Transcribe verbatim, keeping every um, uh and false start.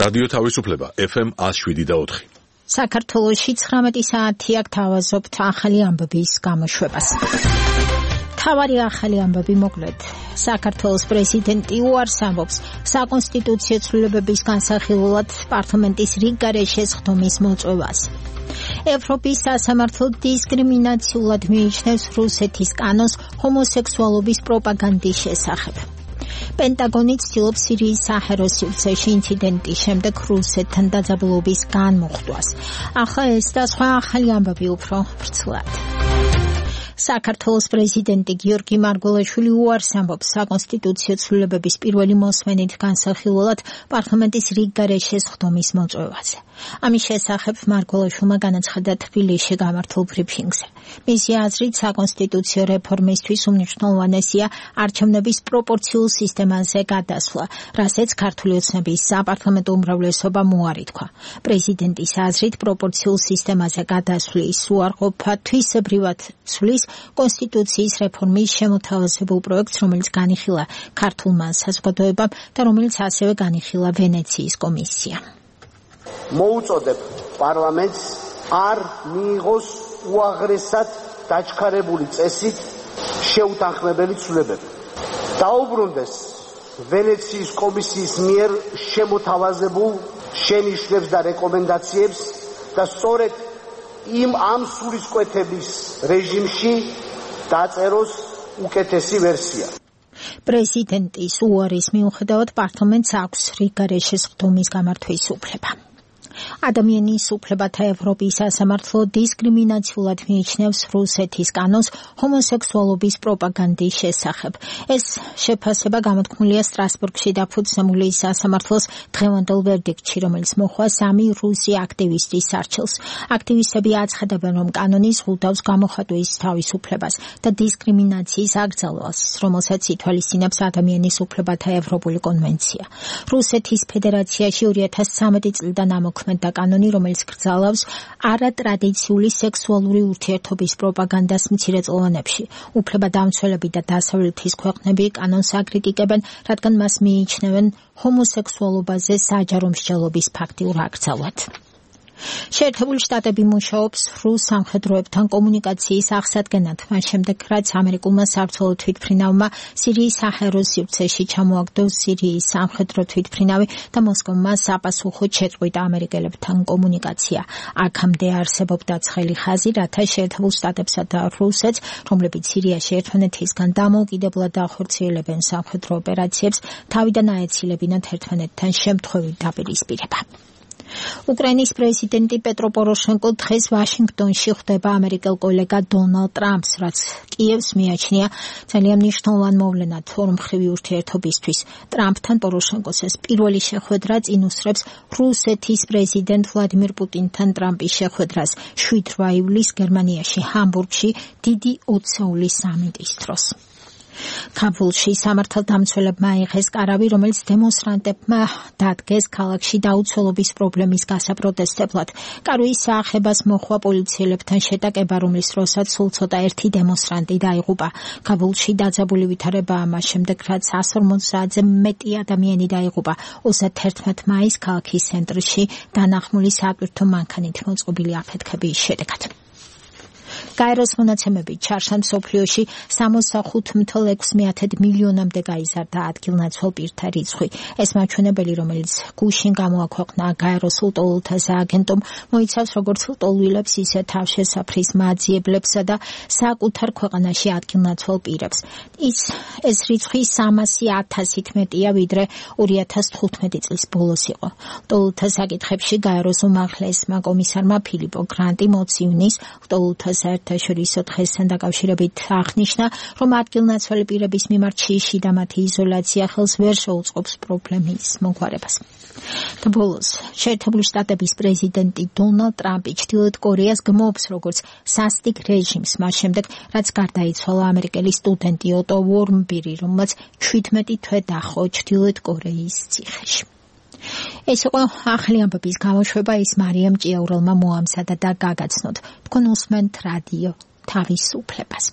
რადიო თავისუფლება ეფ ემ one oh seven point four. საქართველოში ცხრამეტი საათი აქ თავაზობთ ახალი ამბების გამოშვებას. თავარი ახალი ამბები მოკლედ. საქართველოს პრეზიდენტი უარს ამბობს საკონსტიტუციო ცვლილებების განსახილველად პარლამენტის რიგ გარეშე სხდომის მოწვევას. ევროპის სასამართლო დისკრიმინაციულად მიიჩნევს რუსეთის კანონს ჰომოსექსუალობის პროპაგანდის შესახებ. პენტაგონი ცდილობს სირიის საჰაერო სივრცეში ინციდენტის შემდეგ რუსეთთან დაძაბულობის განმუხტვას. ახლა ეს და სხვა ახალი ამბები უფრო ვრცლად. საქართველოს პრეზიდენტი გიორგი მარგველაშვილი უარს ამბობს საკონსტიტუციო ცვლილებების პირველი მოსმენით განსახილველად პარლამენტის რიგ გარეშე სხდომის მოწვევაზე. ამის შესახებ მარგველაშვილმა განაცხადა თბილისში გამართულ ბრიფინგზე. მისი აზრით საკონსტიტუციო რეფორმისთვის უმნიშვნელოვანესია არჩევნების პროპორციულ სისტემაზე გადასვლა, რასაც ქართული ოცნების საპარლამენტო უმრავლესობამ უარი თქვა. პრეზიდენტის აზრით პროპორციულ სისტემაზე გადასვლის უარყოფა თვისებრივად ცვლის კონსტიტუციის რეფორმის შემოთავაზებულ პროექტს, რომელიც განიხილა ქართულმა საზოგადოებამ და რომელიც ასევე განიხილა ვენეციის კომისიამ. მოუწოდებ პარლამენტს არ მიიღოს უაღრესად დაჩქარებული წესით შეუთანხმებელი ცვლილებები. დაუბრუნდეს ვენეციის კომისიის მიერ შემოთავაზებულ შენიშვნებს და რეკომენდაციებს და სწორედ იმ ამ სულისკვეთების რეჟიმში დაწეროს უკეთესი ვერსია. პრეზიდენტის უარის მიუხედავად პარლამენტს აქვს რიგ გარეშე სხდომის გამართვის უფლება. ადამიანის უფლებათა ევროპის სასამართლო დისკრიმინაციულად მიიჩნევს რუსეთის კანონს ჰომოსექსუალობის პროპაგანდის შესახებ. ეს შეფასება გამოთქმულია სტრასბურგში დაფუძნებული სასამართლოს დღევანდელ ვერდიქტში, რომელიც მოჰყვა სამი რუსი აქტივისტის სარჩელს. აქტივისტები აცხადებენ, რომ კანონი ზღუდავს გამოხატვის თავისუფლებას და დისკრიმინაციის აკრძალვას, რომელსაც ითვალისწინებს ადამიანის უფლებათა ევროპული კონვენცია. რუსეთის ფედერაციაში ორი ათას ცხრამეტი წლიდან ამოქმედა და კანონი, რომელიც გრძალავს არატრადიციული სექსუალური ურთიერთობის პროპაგანდას მცირეწლოვანებში. უფლებადამცველები და დასავლეთის ქვეყნები კანონს აკრიტიკებენ, რადგან მას მიიჩნევენ ჰომოსექსუალობაზე საჯარო მსჯელობის ფაქტიურ აკრძალვად. შეერთებული შტატები მუშაობს რუს სამხედროებთან კომუნიკაციის აღსადგენად, მას შემდეგ, რაც ამერიკულმა საბრძოლო თვითმფრინავმა სირიის საჰაერო სივრცეში ჩამოაგდო სირიის სამხედრო თვითმფრინავი და მოსკოვმა საპასუხოდ შეწყვიტა ამერიკელებთან კომუნიკაცია. აქამდე არსებობდა ცხელი ხაზი, რათა შეერთებულ შტატებსა და რუსეთს, რომლებიც სირიაში ერთმანეთისგან დამოუკიდებლად ახორციელებენ სამხედრო ოპერაციებს, თავიდან აეცილებინათ ერთმანეთთან შემთხვევით დაპირისპირება. უკრაინის პრეზიდენტი პეტრო პოროშენკო დღეს ვაშინგტონში ხვდება ამერიკელ კოლეგა დონალდ ტრამპს, რაც კიევს მიაჩნია ძალიან მნიშვნელოვან მოვლენად ორმხრივი ურთიერთობისთვის. ტრამპთან პოროშენკოს ეს პირველი შეხვედრა წინ უსწრებს რუსეთის პრეზიდენტ ვლადიმირ პუტინთან ტრამპის შეხვედრას შვიდ ივლისს გერმანიაში ჰამბურგში დიდი ოცეულის სამიტის დროს. ქაბულში სამართალდამცველებმა აიღეს კარავი, რომელიც დემონსტრანტებმა დადგეს ქალაქში დაუცველობის პრობლემის გასაპროტესტებლად. კარვის საახებას მოჰყვა პოლიციელებთან შეტაკება, რომლის დროსაც სულ ცოტა ერთი დემონსტრანტი დაიღუპა. ქაბულში დაძაბული ვითარებაა მას შემდეგ, რაც εκατს ორმოცდაათზე მეტი ადამიანი დაიღუპა. ოცდაერთმეტ მაისს ქალაქის ცენტრში დანახმული სატვირთო მანქანით მოწყობილი აფეთქების შედეგად. გაეროს მონაცემებით ჩარშა მსოფლიოში სამოცდახუთ ათას ექვსმეათე მილიონამდე გაიზარდა ადგილნაცვალ პირთა რიცხვი. ეს მაჩვენებელი, რომელიც გუშინ გამოაქვეყნა გაეროს ლტოლვილთა სააგენტომ, მოიცავს როგორც ლტოლვილებს, ისე თავშესაფრის მაძიებლებსა და საკუთარ ქვეყანაში ადგილნაცვალ პირებს. ის ეს რიცხვი სამასი ათასით მეტია, ვიდრე ორი ათას თხუთმეტი წლის ბოლოს იყო. ლტოლვილთა საკითხებში გაეროს უმაღლესმა კომისარმა ფილიპო გრანტი მოც ივნისს ლტოლვილთა საერთაშორისო დღესთან დაკავშირებით აღნიშნა, რომ ადგილნაცვალი პირების მიმართ შიში და მათი იზოლაცია ხელს ვერ შეუწყობს პრობლემის მოგვარებას. და ბოლოს, შეერთებული შტატების პრეზიდენტი დონალდ ტრამპი ჩრდილოეთ კორეას გმობს როგორც სასტიკ რეჟიმს, მას შემდეგ, რაც გარდაიცვალა ამერიკელი სტუდენტი ოტო ვორმბირი, რომელმაც შვიდმეტი თვე დაჰყო ჩრდილოეთ კორეის ციხეში. ეს იყო ახალი ამბების გამოშვება, ის მარიამ ჭიაურელმა მოამზადა და გაგაცნოთ. თქვენ უსმენთ რადიო თავისუფლებას.